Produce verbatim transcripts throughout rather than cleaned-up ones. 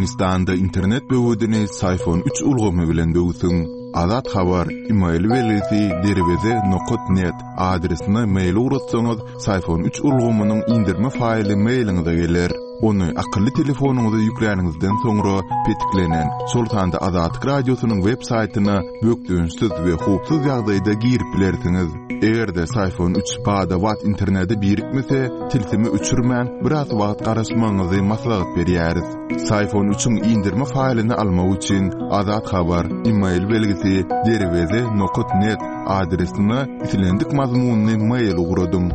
Türkmenistanda internet böwedini Syfon üç ulgamy bilen böwsüň. Azat Habar, e-mail belgisi derweze nokat net adresine mail ugratsaňyz, Syfon üç ulgamynyň indirme faýly mailiňize geler. Ony akylly telefonyňyza ýükläniňizden soňra petiklenen, şol sanda Azatlyk Radiosynyň web saýtyna bökdençsiz we howpsuz ýagdaýda girip bilersiňiz. Eger-de Syfon üç bada-bat internete birikmese, tilsimi öçürmän biraz wagt garaşmagyňyzy maslahat berýäris. Syfon üçiň indirme faýlyny almak üçin Azat Habar, e-mail belgisi derweze nokat net adresine islendik mazmunyny mail ugradyň.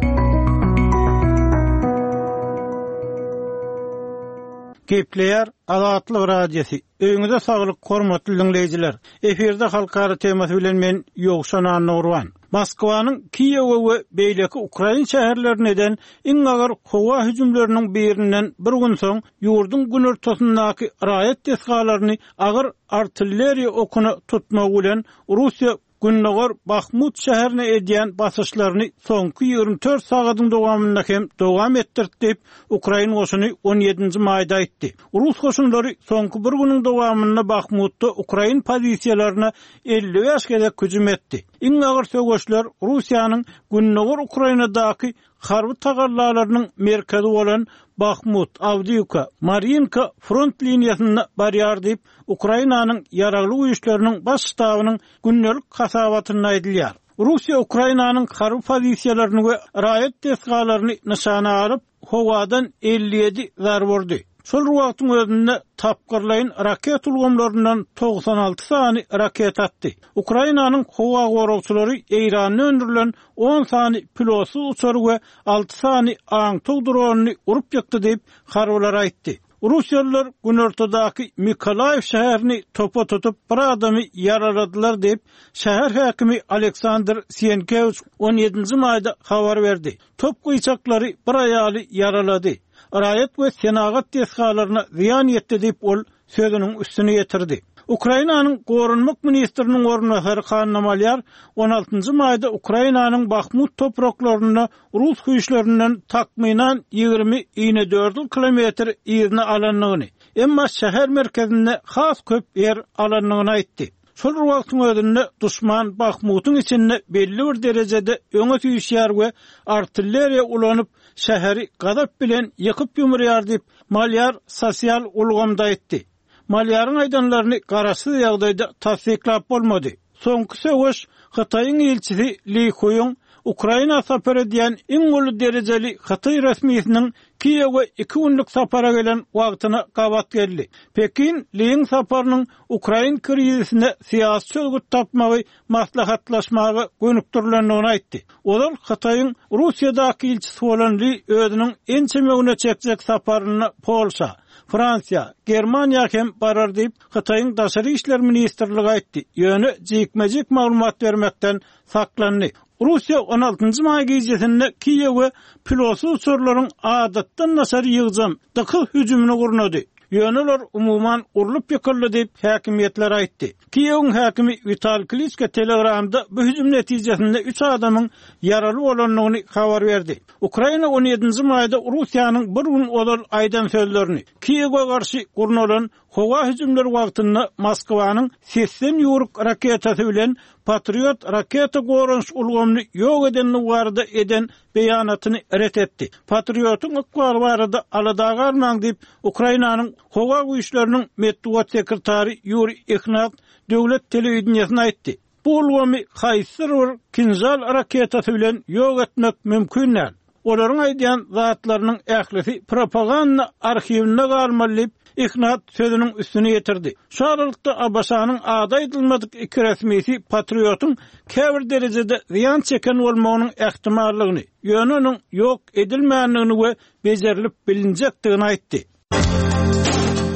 Gepleýär Azatlyk Radiosy. Öýüňize saglyk, hormatly dinleýjiler. Efirde halkara temasy bilen men Ýowşan Annurwan. Moskwanyň Kiýewe we beýleki Ukraina şäherlerine eden iň agyr howa hüjümleriniň birinden bir gün soň ýurduň günortasyndaky raýat desgalaryny agyr artilleriýa okuna tutmak bilen Russiýa Gündogar Bahmut şäherine edýän basyşlaryny soňky ýigrimi dört sagatyň dowamynda hem dowam etdirdi diýip, Ukraina goşuny on ýedinji maýda aýtdy. Rus goşunlary soňky bir günüň dowamynda Bahmutda Ukraina pozisiýalaryna elli bäş gezek hüjüm etdi. Iň agyr söweşler Russiýanyň Gündogar Ukrainadaky harby tagallalarynyň merkezi bolan Bahmut, Awdiýewka, Marinka front liniýasynda barýar diýip, Ukrainanyň ýaragly güýçleriniň baş ştabynyň gündelik hasabatynda aýdylýar. Russiýa Ukrainanyň harby pozisiýalaryny we raýat desgalaryny nyşana alyp, howadan elli ýedi zarba urdy. Şol wagtyň özünde tapgyrlaýyn raket ulgamlaryndan togsan alty sany raket atdy. Ukrainanyň howa goragçylary Eýranda öndürilen on sany pilotsyz uçary we alty sany aňtaw dronyny urup ýykdy diýip, harbylar aýtdy. Russiýalylar günortadaky Mikolaýew şäherini topa tutup bir adamy ýaraladylar diýip, şäher häkimi Aleksandr Sienkewiç on ýedinji maýda habar berdi. Top gyýçaklary bir aýaly ýaralady. Raýat we senagat desgalaryna zyýan ýetdi diýip ol sözüniň üstüne ýetirdi. Ukrainanyň Goranmak ministriniň orunbasary Hanna Malýar on altynjy maýda Ukrainanyň Bahmut topraklarynda Rus güýçlerinden takmynan ýigrimi inedördül kilometr yzyna alandygyny, emma şäher merkezinde has köp ýer alandygyny aýtdy. Şol wagtyň özünde duşman Bahmutyň içinde belli bir derejede öňe süýşýär we artilleriýa ulanyp şäheri gazap bilen ýykyp ýumurýar diýip Malýar sosial ulgamda aýtdy. Malýaryň aýdanlaryny garaşsyz ýagdaýda tassyklap bolmady. Soňky söweş Hytaýyň ilçisi Li Huýuň Ukraina sapar edýän iň uly derejeli Hytaý resmisiniň Kiýewe iki günlük sapara gelen wagtyna gabat geldi. Pekin Liň saparynyň Ukraina krizisine syýasy çözgüt tapmagy maslahatlaşmaga gönükdirilendigini aýtdy. Ozal Hytaýyň Russiýadaky ilçisi bolan Li özüniň ençeme güne çekjek saparyna Polşa, Fransiýa, Germaniýa hem barar diýip, Hytaýyň Daşary işler ministrligi aýtdy. Ýöne jikme-jik maglumat bermekden saklandy. Russiýa on altynjy maý gijesinde Kiýewe pilotsyz uçarlaryň adatdan daşary ýygjam dykyz hüjümini gurnady. Ýöne olar umuman urlup ýykyldy diýip häkimiýetler aýtdy. Kiýewiň häkimi Wital Kliçka Telegramda bu hüjüm netijesinde üç adamyň ýaraly bolandygyny habar berdi. Ukraina on ýedinji maýda Russiýanyň bir gün ozal aýdan sözlerini Kiýewe garşy gurnalan howa hüjümleri wagtynda Moskwanyň sesden ýuruk raketasy bilen Patriot raketa goranyş ulgamyny ýok edenligi barada eden beýanatyny ret etdi. Patriotyň ykbaly barada alada galmaň diýip, Ukrainanyň howa güýçleriniň metbugat sekretary Ýuri Ihnat döwlet telewideniýesine aýtdy. Bu ulgamy haýsydyr bir Kinjal raketasy bilen ýok etmek mümkin däl. Olaryň aýdýan zatlarynyň ählisi propaganda arhiwinde galmaly diýip, Ihnat sözüniň üstüne ýetirdi. Şu aralykda ABŞ-nyň ady aýdylmadyk iki resmisi Patriotyň käbir derejede zyýan çeken bolmagynyň ähtimallygyny, ýöne onuň ýok edilmändigini we bejerilip bilinjekdigini aýtdy.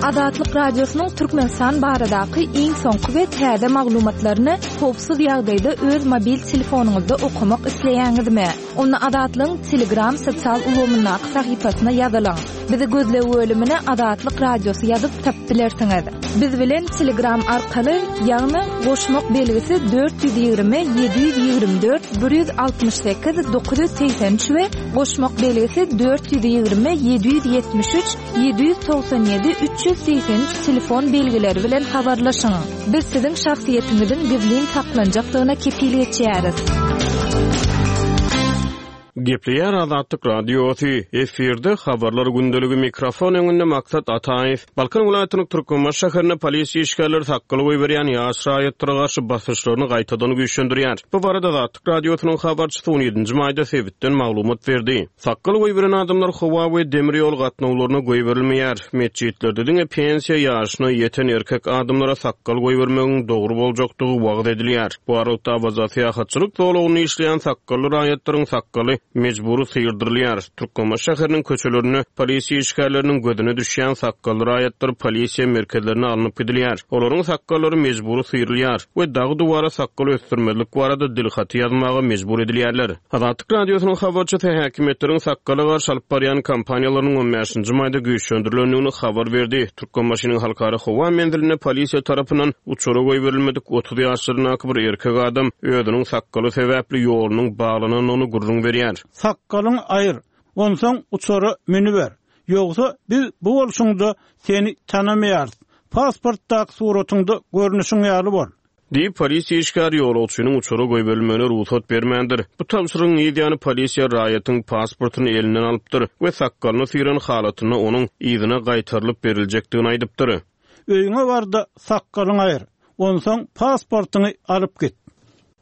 Azatlyk Radiosynyň Türkmenistan baradaky iň soňky we täze maglumatlaryny howpsuz ýagdaýda öz mobil telefonyňyzda okamak isleýäňizmi? Onda Azatlygyň Telegram sosial ulgamyndaky sahypasyna ýazylyň. Bizi gözleg bölümine Azatlyk Radiosy ýazyp tapyp bilersiňiz. Biz bilen Telegram arkaly, ýagny goşmak belgisi dört ýüz ýigrimi ýedi ýüz ýigrimi dört bir ýüz altmyş sekiz dokuz ýüz segsen üç we goşmak belgisi dört ýüz ýigrimi ýedi ýüz ýetmiş üç ýedi ýüz togsan ýedi üç ýüz segsen üç telefon belgileri bilen habarlaşyň. Biz siziň şahsyýetiňiziň gizlin saklanjakdygyna kepil geçýäris. Gepleýär Azatlyk Radiosy, efirde habarlar gündeligi, mikrofon öňünde Maksat Ataýew. Balkan welaýatynyň Türkmenbaşy şäherinde polisiýa işgärleri sakgal goýberýän ýaş raýatlara garşy basyşlaryny gaýtadan güýçlendirýär. Bu barada Azatlyk Radiosynyň habarçysy on ýedinji maýda sebitden maglumat berdi. Sakgal goýberen adamlar howa we demir ýol gatnawlaryna goýberilmeýär. Metjitlerde diňe pensiýa ýaşyna ýeten erkek adamlara sakgal goýbermegiň dogry boljakdygy wagyz edilýär. Bu aralykda Awaza syýahatçylyk zolagynda işleýän sakgally raýatlaryň sakgaly mejbury syýrdyrylýar. Türkmenbaşy şäheriniň köçelerinde polisiýa işgärleriniň gözüne düşýän sakgally raýatlar polisiýa merkezlerine alnyp gidilýär. Olaryň sakgallary mejbury syýrylýar we dagy duwara sakgal ösdürmezlik barada dilhaty ýazmaga mejbur edilýärler. Azatlyk Radiosynyň habarçysy häkimiýetleriň sakgala garşy alyp barýan kampaniýalarynyň on bäşinji maýda güýçlendirilendigini habar berdi. Türkmenbaşynyň halkara howa menzilinde polisiýa tarapyndan uçara goýberilmedik otuz ýaşlaryndaky bir erkek adam özüniň sakgaly sebäpli ýolunyň baglanandygyny gürrüň berýär. Sakgalyň aýyr, onsoň uçara münüber. Ýogsa biz bu bolşuňda seni tanamaýarys. Pasportdaky suratyňda görnüşiň ýaly bol. Diýip, polisiýa işgäri ýolagçynyň uçara goýberilmegine rugsat bermändir. Bu tabşyrygyň ýany polisiýa raýatyň pasportyny elinden alypdyr we sakgalyny syran halatynda onuň yzyna gaýtarylyp beriljekdigini aýdypdyr. Öýüňe barda sakgalyň aýyr, onsoň pasportyňy alyp git.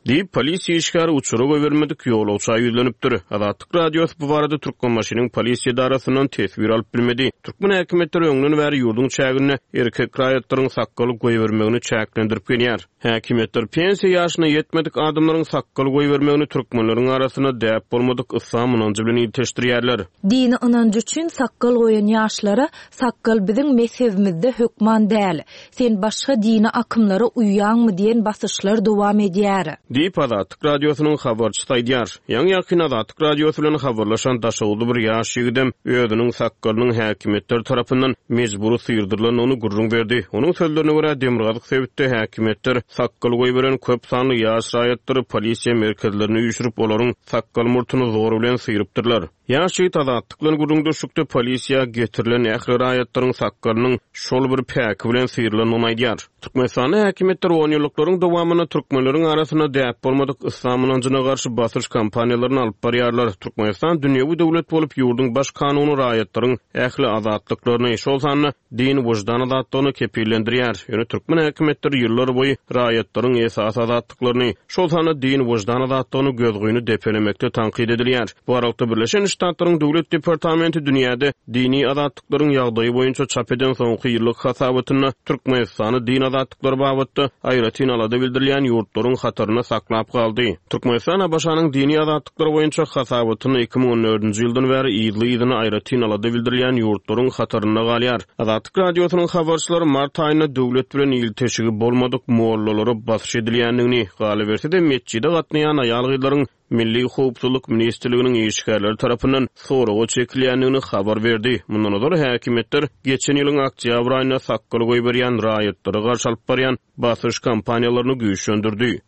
Diýip, polisiýa işgäri uçara goýbermedik ýolagça ýüzlenipdir. Azatlyk Radiosy bu barada Türkmenbaşynyň polisiýa edarasyndan teswir alyp bilmedi. Türkmen häkimiýetleri öňden bäri ýurduň çäginde erkek raýatlaryň sakgaly goýbermegini çäklendirip gelýär. Häkimiýetler pensiýa ýaşyna ýetmedik adamlaryň sakgal goýbermegini türkmenleriň arasynda däp bolmadyk yslam ynanjy bilen ilteşdirýärler. Dini ynanjy üçin sakgal goýan ýaşlara sakgal biziň mezhebimizde hökman däl. Sen başga dini akymlara uýýaňmy diýen basyşlar dowam edýär. Diýip, Azatlyk Radiosynyň habarçysy aýdýar. Ýaňy ýakyn Azatlyk Radiosy bilen habarlaşan Daşoguzly bir ýaş ýigidem özüniň sakgalynyň häkimiýetler tarapyndan mejbury syýrdyrylandygyny gürrüň berdi. Onuň sözlerine görä, Demirgazyk sebitde häkimiýetler sakgal goýberen köp sanly ýaş raýatlary polisiýa merkezlerine üýşürip, olaryň sakgal murtuny zor bilen syýrypdyrlar. Ýaş ýigit Azatlyk bilen gürrüňdeşlikde polisiýa getirilen ähli raýatlaryň sakgalynyň şol bir päki bilen syýrylandygyny aýdýar. Türkmenistanda häkimiýetler on ýyllyklaryň dowamynda türkmenleriň arasynda däp bolmadyk yslam ynanjyna garşy basyş kampaniýalaryny alyp barýarlar. Türkmenistan dünýewi döwlet bolup, ýurduň baş kanuny raýatlaryň ähli azatlyklaryny, şol sanda din wyždan azatlygyny kepillendirýär. Ýöne türkmen häkimiýetleri ýyllar boýy raýatlaryň esasy azatlyklaryny, şol sanda din wyždan azatlygyny gözgyny depelemekde tankyt edilýär. Bu aralykda Birleşen Ştatlaryň Döwlet Departamenti dünýäde dini azatlyklaryň ýagdaýy boýunça çap eden soňky ýyllyk hasabatynda Türkmenistany din azatlyklary babatda aýratyn alada bildirilýän ýurtlaryň hatarynda saklap galdy. Türkmenistan A B Ş-nyň dini azatlyklary boýunça hasabatyny iki müň on dördünji ýyldan bäri yzly-yzyna aýratyn alada bildirilýän ýurtlaryň hatarynda galýar. Azatlyk Radiosynyň habarçylary mart aýynda döwlet bilen ilteşigi bolmadyk mollalara basyş edilýändigini, galyberse-de metjide gatnaýan aýal-gyzlaryň Milli Howpsuzlyk Ministrliginiň işgärleri tarapyndan soraga çekilýändigini habar berdi. Mundan ozal häkimiýetler geçen ýylyň oktýabr aýynda sakgal goýberýän raýatlara garşy alyp barýan basyş kampaniýalaryny güýçlendirdi.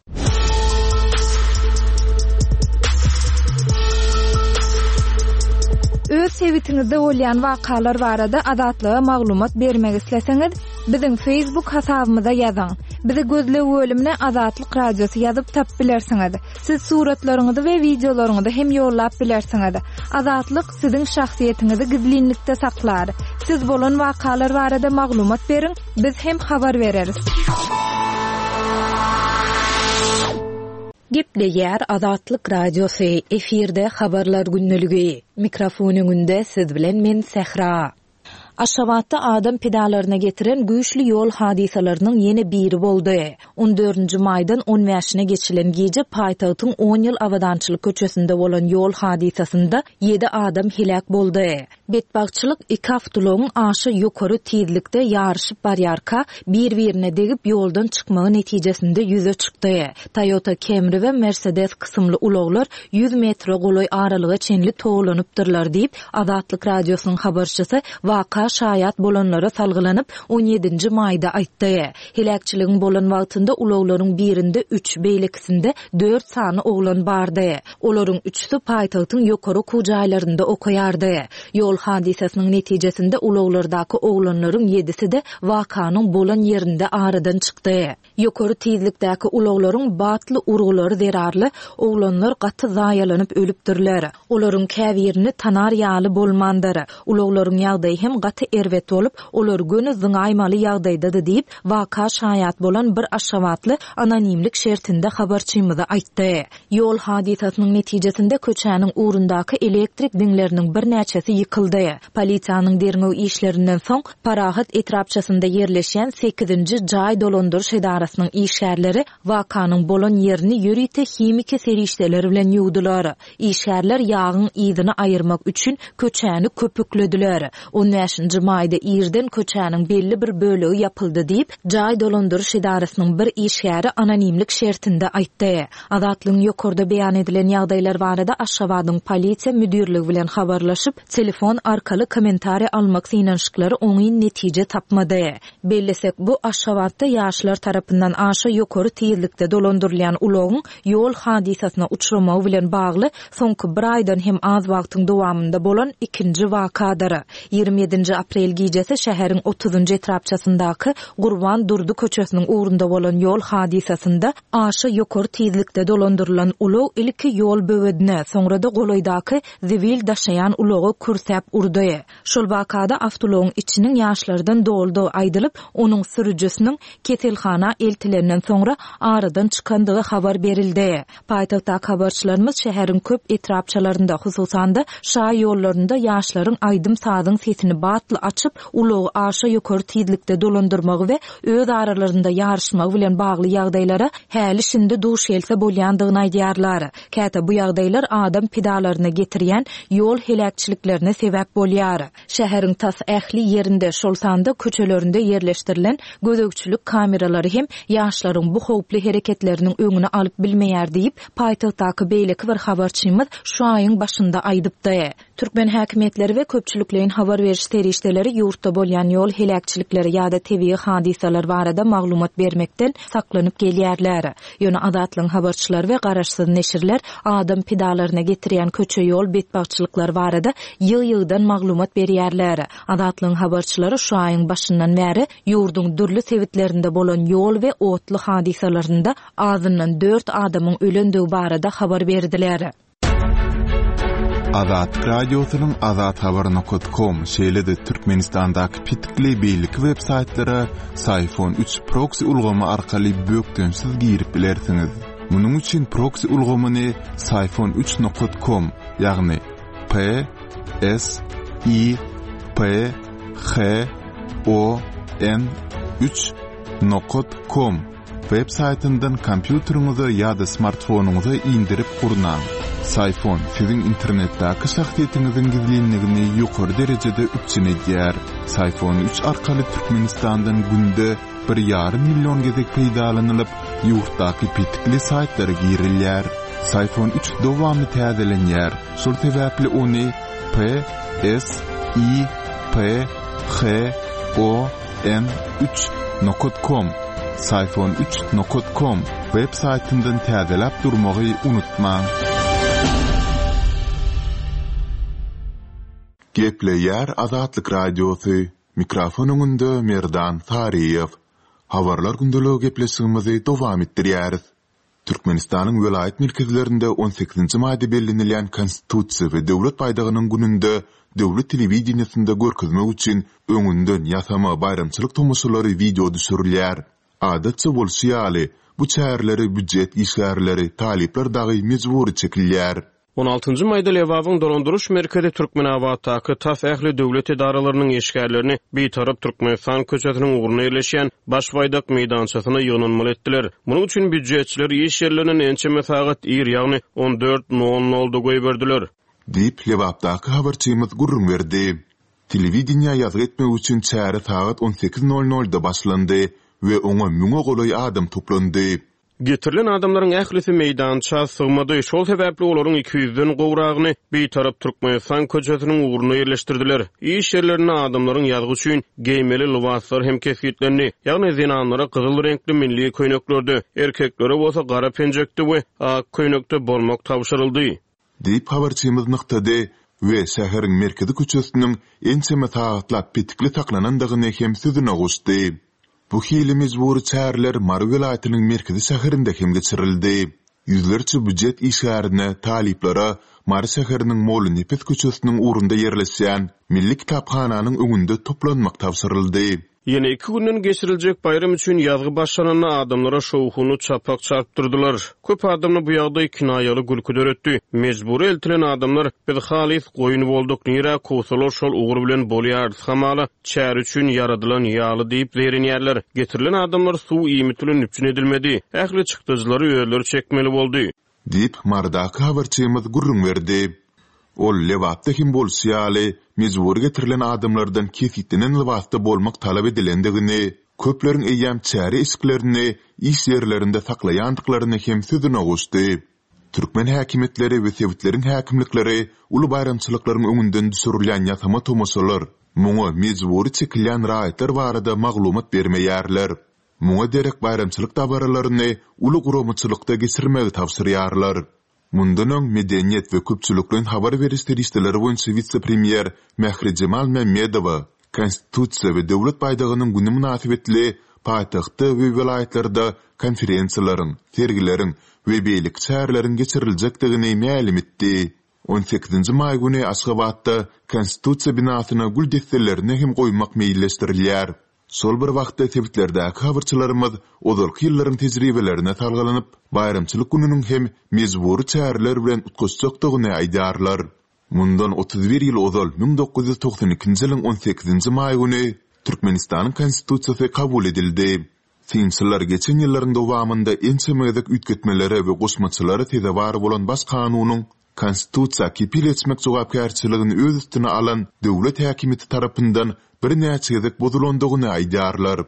Öz sebitiňizde bolýan wakalar barada Azatlyga maglumat bermek isleseňiz, biziň Facebook hasabymyza ýazyň. Bizi gözleg bölümine Azatlyk Radiosy ýazyp tapyp bilersiňiz. Siz suratlaryňyzy we wideolaryňyzy hem ýollap bilersiňiz. Azatlyk siziň şahsyýetiňizi gizlinlikde saklar. Siz bolan wakalar barada maglumat beriň, biz hem habar bereris. Gepleýär Azatlyk Radiosy, efirde habarlar gündeligi. Mikrofon öňünde siz bilen men Sähra. Aşgabatda adam pedalaryna getiren güýçli ýol hadysalarynyň ýene biri boldy. On dördünji maýdan on bäşine geçilen gije paýtagtyň on ýyl abadançylyk köçesinde bolan ýol hadysasynda ýedi adam heläk boldy. Betbagtçylyk iki awtoulagyň aşa ýokary tizlikde ýaryşyp barýarka bir-birine degip ýoldan çykmagy netijesinde ýüze çykdy. Toyota Camry we Mercedes kysymly ulaglar ýüz metre golaý aralyga çenli towlanypdyrlar diýip, Azatlyk Radiosynyň habarçysy waka şaýat bolanlara salgylanyp, on ýedinji maýda aýtdy. Heläkçiligiň bolan wagtynda ulaglaryň birinde üç, beýlekisinde dört sany oglan bardy. Olaryň üçüsi paýtagtyň ýokary okuw jaýlarynda okaýardy. Ýol hadysasynyň netijesinde ulaglardaky oglanlaryň ýedisi-de wakanyň bolan ýerinde aradan çykdy. Ýokary tizlikdäki ulaglaryň batly urgulary zerarly oglanlar gaty zaýalanyp ölüpdirler. Olaryň käbirini tanar ýaly bolmandyr. Ulaglaryň ýagdaýy hem gaty erbet bolup, olar göni zyňaýmaly ýagdaýdady diýip, waka şaýat bolan bir aşgabatly anonimlik şertinde habarçymyza aýtdy. Ýol hadysasynyň netijesinde köçäniň ugrundaky elektrik diňleriniň birnäçesi ýykyldy. Polisiýanyň derňew işlerinden soň Parahat etrapçasynda ýerleşýän sekizinji jaý dolandyryş edarasynyň işgärleri wakanyň bolan ýerini ýörite himiki serişdeler bilen ýuwdular. Işgärler ýagyň yzyny aýyrmak üçin köçäni köpüklediler. On bäşinji maýda irden köçäniň belli bir bölegi ýapyldy diýip, jaý dolandyryş edarasynyň bir işgäri anonimlik şertinde aýtdy. Azatlygyň ýokarda beýan edilen ýagdaýlar barada Aşgabadyň polisiýa müdirligi bilen habarlaşyp, telefon arkaly kommentariý almak synanyşyklary oňyn netije tapmady. Bellesek, bu Aşgabatda ýaşlar tarapyndan aşa ýokary tizlikde dolandyrylýan ulagyň ýol hadysasyna uçramagy bilen bagly soňky bir aýdan hem az wagtyň dowamynda bolan ikinji wakadyr. Ýigrimi ýedinji aprel gijesi şäheriň otuzynjy etrapçasyndaky Gurban Durdy köçesiniň ugrunda bolan ýol hadysasynda aşa ýokary tizlikde dolandyrylan ulag ilki ýol böwedine, soňra-da golaýdaky zibil daşaýan ulaga kürsäp urdy. Şol wakada awtoulagyň içiniň ýaşlardan doldugy aýdylyp, onuň sürüjisiniň keselhana eltilenden soňra aradan çykandygy habar berildi. Paýtagtdaky habarçylarymyz şäheriň köp etrapçalarynda, hususan-da şaý ýollarynda ýaşlaryň aýdym-sazyň sesini batly açyp, ulagy aşa ýokary tizlikde dolandyrmagy we öz aralarynda ýaryşmagy bilen bagly ýagdaýlara häli-şindi duş gelse bolýandygyny aýdýarlar. Käte bu ýagdaýlar adam pidalaryna getirýän ýol heläkçiliklerine sebäp bolýar. Şäheriň tas ähli ýerinde, şol sanda köçelerinde ýerleşdirilen gözegçilik kameralary hem ýaşlaryň bu howply hereketleriniň öňüni alyp bilmeýär diýip, paýtagtdaky beýleki bir habarçymyz şu aýyň başynda aýdypdy. Türkmen häkimiýetleri we köpçülikleýin habar beriş serişdeleri ýurtda bolýan ýol heläkçilikleri ýa-da tebigy hadysalar barada maglumat bermekden saklanyp gelýärler. Ýöne Azatlygyň habarçylary we garaşsyz neşirler adam pidalaryna getirýän köçe ýol betbagtçylyklary barada ýygy-ýygydan maglumat berýärler. Azatlygyň habarçylary şu aýyň başyndan bäri ýurduň dürli sebitlerinde bolan ýol we otly hadysalarynda azyndan dört adamyň ölendigi barada habar berdiler. Azatlyk Radiosynyň Azat Habar nokta com, şeýle-de Türkmenistandaky petikli beýleki web saýtlara Syfon üç proxy ulgamy arkaly bökdençsiz girip bilersiňiz. Munuň üçin proxy ulgamyny Syfon üç nokta com, ýagny P S I P H O N üç nokta com web saýtyndan kompýuteriňize ýa-da smartfonyňyza indirip gurnaň. Syfon siziň internetdäki şahsyýetiňiziň gizlinligini ýokary derejede üpjün edýär. Syfon üç arkaly Türkmenistandan günde bir ýarym million gezek peýdalanylyp, ýurtdaky petikli saýtlara girilýär. Syfon üç dowamly täzelenýär. Şol sebäpli ony P S I P H O N üç nokta com, Syfon üç nokta com web saýtyndan täzeläp durmagy unutmaň. Gepleýär Azatlyk Radiosy. Mikrofon öňünde Merdan Saryýew. Habarlar gündeligi gepleşigimizi dowam etdirýäris. Türkmenistanyň welaýat merkezlerinde on sekizinji maýda bellenilýän Konstitusiýa we Döwlet baýdagynyň gününde döwlet telewideniýesinde görkezmek üçin öňünden ýasama baýramçylyk tomaşalary wideo düşürilýär. Adatça bolşy ýaly, bu çäreleri býujet işgärleri, talyplar dagy mejbury çekilýär. On altynjy maýda Lebabyň dolandyryş merkezi Türkmenabatdaky tas ähli döwlet edaralarynyň işgärlerini Bitarap Türkmenistan köçesiniň ugruna ýerleşýän Baş baýdak meýdançasyna ýygnanmaly etdiler. Munuň üçin býujetçiler iş ýerlerinden ençeme sagat ir, ýagny on dört nol nolda goýberdiler. Diýip, Lebapdaky habarçymyz gürrüň berdi. Telewideniýä ýazgy etmek üçin çäre sagat on sekiz nol nolda başlandy we oňa müňe golaý adam toplandy. Getirilen adamlaryň ählisi meýdança sygmady, şol sebäpli olaryň iki ýüzden gowragyny Bitarap Türkmenistan köçesiniň ugruna ýerleşdirdiler. Iş ýerlerinde adamlaryň ýazgy üçin geýmeli lybaslar hem kesgitlendi. Ýagny zenanlara gyzyl reňkli milli köýneklerde, erkeklere bolsa gara penjekde we ak köýnekde bolmak tabşyryldy. Diýip habarçymyz nygtady we şäheriň merkezi köçesiniň ençeme sagatlap petikli saklanandygyny hem sözüne goşdy. Bu hili mejbury çäreler Mary welaýatynyň merkezi şäherinde hem geçirildi. Ýüzlerçe býujet işgärine, talyplara Mary şäheriniň Mollanepes köçesiniň ugrunda ýerleşýän Milli kitaphananyň öňünde toplanmak tabşyryldy. Ýene iki günden geçiriljek baýram üçin ýazgy başlananda adamlara şowhuny çapak çarpdyrdylar. Köp adamda bu ýagdaý kinaýaly gülki döretdi. Mejbury eltilen adamlar biz halys goýun bolduk, nirä kowsalar şol ugur bilen bolýarys, hamala çäre üçin ýaradylan ýaly diýip zeýrenýärler. Getirilen adamlar suw iýmit bilen üpjün edilmedi. Ähli çykdajylary özleri çekmeli boldy. Diýip, Marydaky habarçymyz gürrüň berdi. Ol Lebapda hem bolşy ýaly, mejbury getirilen adamlardan kesgitlenen lybasda bolmak talap edilendigini, köpleriň eýýäm çäre eşiklerini iş ýerlerinde saklaýandyklaryny hem sözüne goşdy. Türkmen häkimiýetleri we sebitleriň häkimlikleri uly baýramçylyklaryň öňünden düşürilýän ýasama tomaşalar, muňa mejbury çekilýän raýatlar barada maglumat bermeýärler. Muňa derek baýramçylyk dabaralaryny uly guramaçylykda geçirmegi tabşyrýarlar. Mundan öň medeniýet we köpçülikleýin habar beriş serişdeleri boýunça wise-premýer Mährijemal Mämmedowa Konstitusiýa we döwlet baýdagynyň güni mynasybetli paýtagtda we welaýatlarda konferensiýalaryň, sergileriň we beýleki çäreleriň geçiriljekdigini mälim etdi. On sekizinji maý güni Aşgabatda Konstitusiýa binasyna gül desselerini hem goýmak meýilleşdirilýär. Şol bir wagtda sebitlerdäki habarçylarymyz ozalky ýyllaryň tejribelerine salgylanyp, baýramçylyk gününiň hem mejbury çäreler bilen utgaşjakdygyny aýdýarlar. Mundan otuz bir ýyl ozal müň dokuz ýüz togsan ikinji ýylyň on sekizinji maý güni Türkmenistanyň Konstitusiýasy kabul edildi. Synçylar geçen ýyllaryň dowamynda ençeme gezek üýtgetmelere we goşmaçalara sezewar bolan baş kanunyň Konstitusiýa kepil geçmek jogapkärçiligini öz üstüne alan döwlet häkimiýeti tarapyndan birnäçe gezek bozulandygyny aýdýarlar.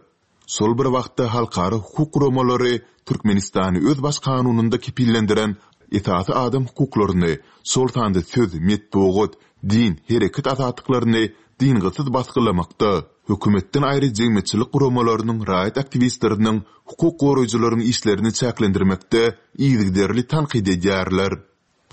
Şol bir wagtda halkara hukuk guramalary Türkmenistany öz baş kanunynda kepillendiren esasy adam hukuklaryny, şol sanda söz, metbugat, din, hereket azatlyklaryny dyngysyz basgylamakda, hökümetden aýry jemgyýetçilik guramalarynyň, raýat aktiwistleriniň, hukuk goraýjylaryň işlerini çäklendirmekde yzygiderli tankyt edýärler.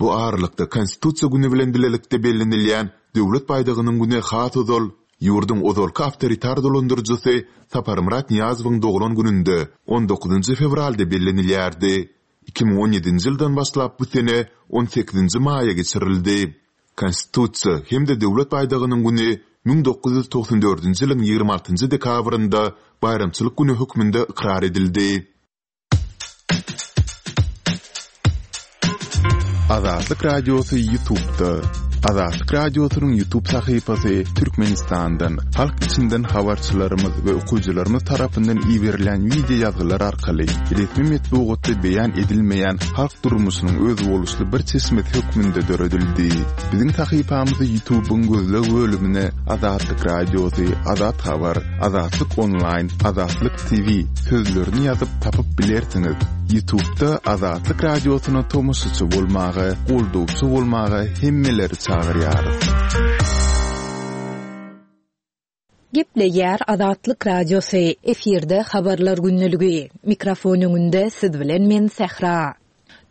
Bu aralykda Konstitusiýa güni bilen bilelikde bellenilýän Döwlet baýdagynyň güni has ozal ýurduň ozalky awtoritar dolandyryjysy Saparmyrat Nyýazowyň doglan gününde on dokuzynjy fewralda bellenilýärdi. Iki müň on ýedinji ýyldan başlap bu sene on sekizinji maýa geçirildi. Konstitusiýa hem-de Döwlet baýdagynyň güni müň dokuz ýüz togsan dördünji ýylyň ýigrimi altynjy dekabrynda baýramçylyk güni hökmünde ykrar edildi. Azatlyk Radiosy YouTube'da. Azatlyk Radiosynyň YouTube sahypasy Türkmenistandan, halk içinden habarçylarymyz we okyjylarymyz tarapyndan iberilen wideo ýazgylar arkaly resmi metbugatda beýan edilmeýän halk durmuşynyň özboluşly bir çeşmesi hökmünde döredildi. Biziň sahypamyzy YouTube'yň gözleg bölümine Azatlyk Radiosy, Azat Habar, Azatlyk Online, Azatlyk T V sözlerini ýazyp tapyp bilersiňiz. YouTube'da Azatlyk Radiosyna tomaşaçy bolmaga, goldawçy bolmaga hemmeleri çagyrýarys. Gepleýär Azatlyk Radiosy, efirde habarlar günlügi. Mikrofon öňünde siz bilen men Sähra.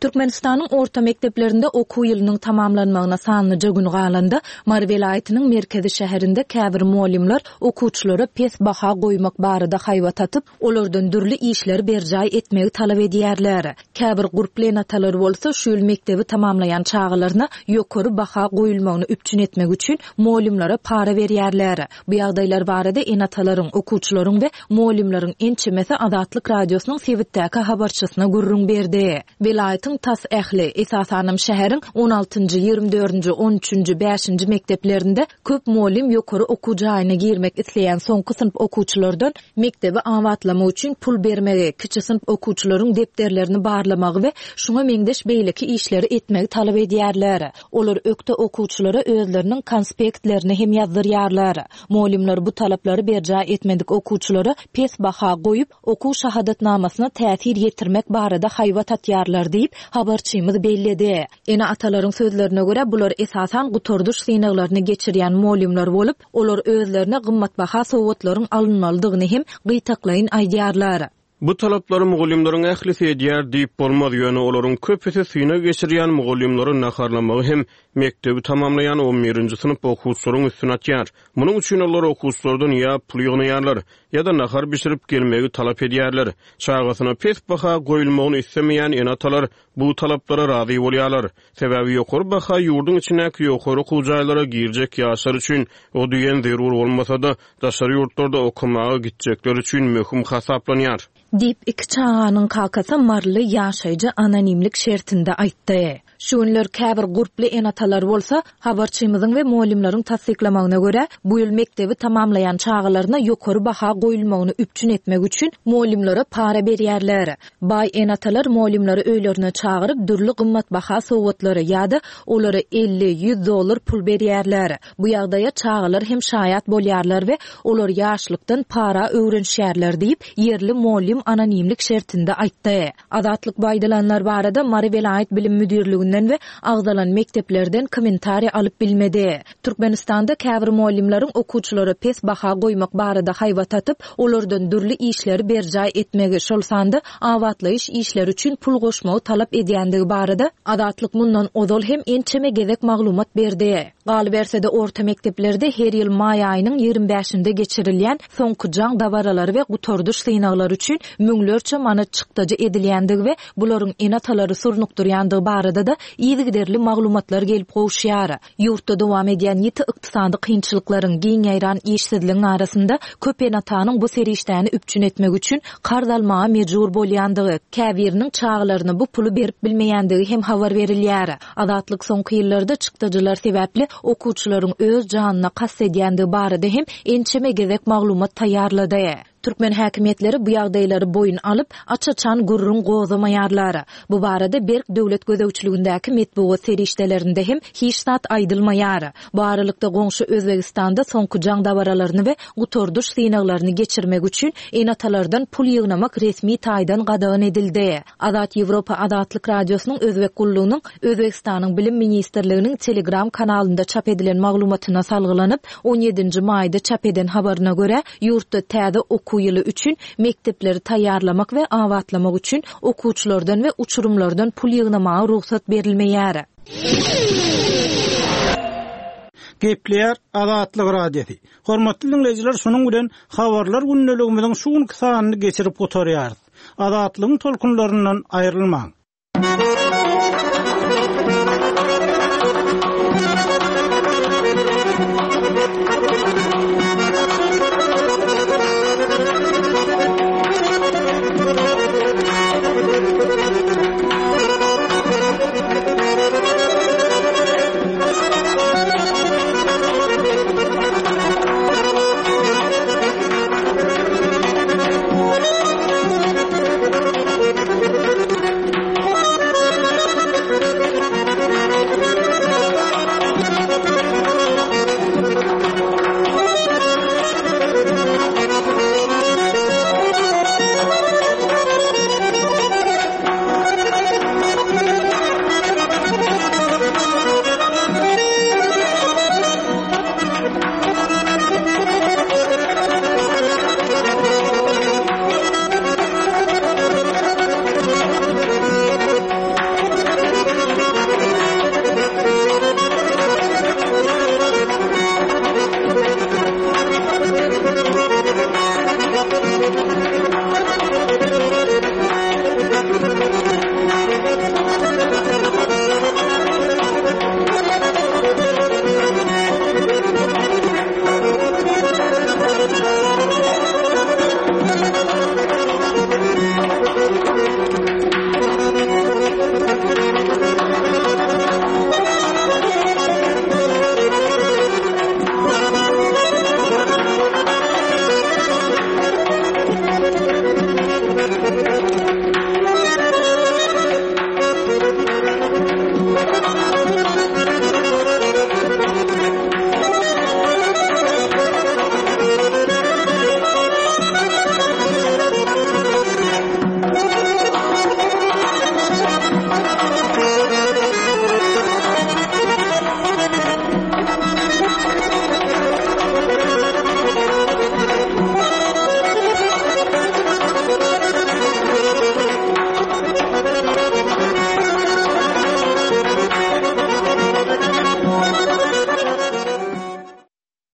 Türkmenistanyň orta mekdeplerinde okuw ýylynyň tamamlanmagyna sanlyja gün galanda, Mary welaýatynyň merkezi şäherinde käbir mugallymlar okuwçylara pes baha goýmak barada haýbat atyp, olardan dürli işleri berjaý etmegi talap edýärler. Käbir gurply ene-atalar bolsa şu ýyl mekdebi tamamlaýan çagalaryna ýokary baha goýulmagyny üpjün etmek üçin mugallymlara para berýärler. Bu ýagdaýlar barada ene-atalaryň, okuwçylaryň we mugallymlaryň ençemesi Azatlyk Radiosynyň sebitdäki habarçysyna gürrüň berdi. Welaýatyň Welaýatyň tas ähli, esasanam şäheriň on altynjy, ýigrimi dördünji, on üçünji, bäşinji mekdeplerinde köp mugallym ýokary okuw jaýyna girmek isleýän soňky synp okuwçylardan mekdebi abatlamak üçin pul bermegi, kiçi synp okuwçylaryň depderlerini barlamagy we şuňa meňzeş beýleki işleri etmegi talap edýärler. Olar ökde okuwçylara özleriniň konspektlerini hem ýazdyrýarlar. Mugallymlar bu talaplary berjaý etmedik okuwçylara pes baha goýup, okuw şahadatnamasyna täsir ýetirmek barada haýbat atýarlar diýip, habarçymyz belledi. Ene-atalaryň sözlerine görä, bular esasan gutardyş synaglaryny geçirýän mugallymlar bolup, olar özlerine gymmatbaha sowgatlaryň alynmalydygyny hem gytaklaýyn aýdýarlar. Bu talaplary mugallymlaryň ählisi edýär diýip bolmaz, ýöne olaryň köpüsi synag geçirýän mugallymlary naharlamagy hem mekdebi tamamlaýan on birinji synp okuwçylaryň üstüne atýar. Munuň üçin olar okuwçylardan ýa pul ýygnaýarlar, ýa-da nahar bişirip gelmegi talap edýärler. Çagasyna pes baha goýulmagyny islemeýän ene-atalar bu talaplara razy bolýarlar. Sebäbi ýokary baha ýurduň içindäki ýokary okuw jaýlara girjek ýaşlar üçin o diýen zerur bolmasa-da, daşary ýurtlarda okamaga gitjekler üçin möhüm hasaplanýar. Diýip, iki çaganyň kakasy Marly ýaşaýjy anonimlik şertinde aýtdy. Şu günler käbir gurply ene-atalar bolsa, habarçymyzyň we mugallymlaryň tassyklamagyna görä, bu ýyl mekdebi tamamlaýan çagalaryna ýokary baha goýulmagyny üpjün etmek üçin mugallymlara para berýärler. Baý ene-atalar mugallymlary öýlerine çagyryp, dürli gymmatbaha sowgatlary ýa-da olara elli, ýüz dollar pul berýärler. Bu ýagdaýa çagalar hem şaýat bolýarlar we olar ýaşlykdan para öwrenişýärler diýip, ýerli mugallym anonimlik şertinde aýtdy. Azatlyk bu aýdylanlar barada Mary welaýat bilim müdirliginden we agzalan mekdeplerden kommentariýa alyp bilmedi. Türkmenistanda käbir mugallymlaryň okuwçylara pes baha goýmak barada haýbat atyp, olardan dürli işleri berjaý etmegi, şol sanda abatlaýyş işleri üçin pul goşmagy talap edýändigi barada Azatlyk mundan ozal hem ençeme gezek maglumat berdi. Galyberse-de orta mekdeplerde her ýyl maý aýynyň ýigrimi bäşinde geçirilýän soňky jaň dabaralary we gutardyş synaglary üçin müňlerçe manat çykdajy edilýändigi we bularyň ene-atalary surnukdyrýandygy barada da yzygiderli maglumatlar gelip gowuşýar. Ýurtda dowam edýän ýiti ykdysady kynçylyklaryň, giň ýaýran işsizligiň arasynda köp ene-atanyň bu serişdäni üpjün etmek üçin karz almaga mejbur bolýandygy, käbiriniň çagalaryna bu puly berip bilmeýändigi hem habar berilýär. Azatlyk soňky ýyllarda çykdajylar sebäpli okuwçylaryň öz janyna kast edýändigi barada hem ençeme gezek maglumat taýýarlady. Türkmen häkimiýetleri bu ýagdaýlary boýun alyp, aç-açan gürrüň gozamaýarlar. Bu barada berk döwlet gözegçiligindäki metbugat serişdelerinde hem hiç zat aýdylmaýar. Bu aralykda goňşy Özbegistanda soňky jaň dabaralaryny we gutardyş synaglaryny geçirmek üçin ene-atalardan pul ýygnamak resmi taýdan gadagan edildi. Azat Ýewropa Azatlyk Radiosynyň Özbek gullugynyň Özbegistanyň Bilim Ministrliginiň Telegram kanalynda çap edilen maglumatyna salgylanyp, on ýedinji maýda çap eden habaryna görä, ýurtda täze okuw ýyly üçin mekdepleri taýýarlamak we abatlamak üçin okuwçylardan we uçurymlardan pul ýygnamaga rugsat berilmeýär. Gepleýär Azatlyk Radiosy. Hormatly dinleýjiler, şunuň bilen habarlar gündeligimiziň şu günki sanyny geçirip gutarýarys. Azatlygyň tolkunlaryndan aýrylmaň.